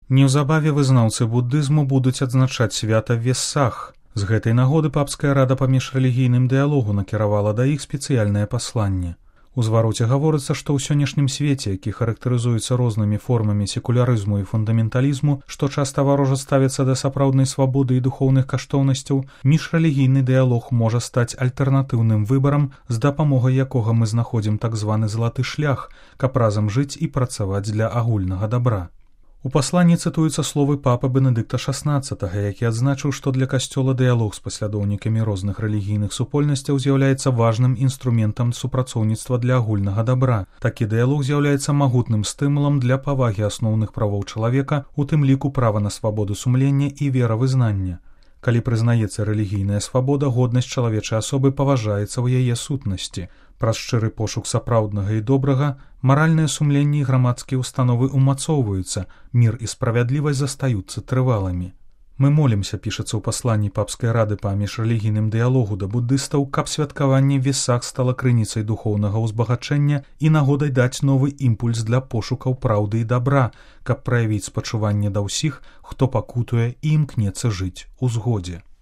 Неўзабаве вызнаўцы буддызму будуць адзначаць свята Вессах. З гэтай нагоды папская рада па міжрэлігійным дыялогу накіравала да іх спецыяльнае пасланне. У звароце гаворыцца, што ў сённяшнім свеце, які характарызуецца рознымі формамі секулярызму і фундаменталізму, што часта варожа ставіцца да сапраўднай свабоды і духоўных каштоўнасцяў, міжрэлігійны дыялог можа стаць альтэрнатыўным выбарам, з дапамогай якога мы знаходзім так званы залаты шлях, каб разам жыць і працаваць для агульнага дабра. У пасланні цытуюцца словы папы Бенедыкта XVI, які адзначыў, што для касцёла дыялог з паслядоўнікамі розных рэлігійных супольнасцяў з'яўляецца важным інструментам супрацоўніцтва для агульнага дабра. Такі дыялог з'яўляецца магутным стымулам для павагі асноўных правоў чалавека, у тым ліку права на свабоду сумлення і веравызнання. Калі прызнаецца рэлігійная свабода, годнасць чалавечай асобы паважаецца ў яе сутнасці. Праз шчыры пошук сапраўднага і добрага, маральнае сумленне і грамадскія ўстановы умацоўваюцца, мір і справядлівасць застаюцца трывалымі. Мы молімся, пішацца ў пасланні папскай рады па міжрэлігійным дыялогу да буддыстаў, каб святкаванне Весах стала крыніцай духоўнага ўзбагачэння і нагодай даць новы імпульс для пошукаў праўды і дабра, каб праявіць спачуванне да ўсіх, хто пакутуе і імкнецца жыць у згодзе.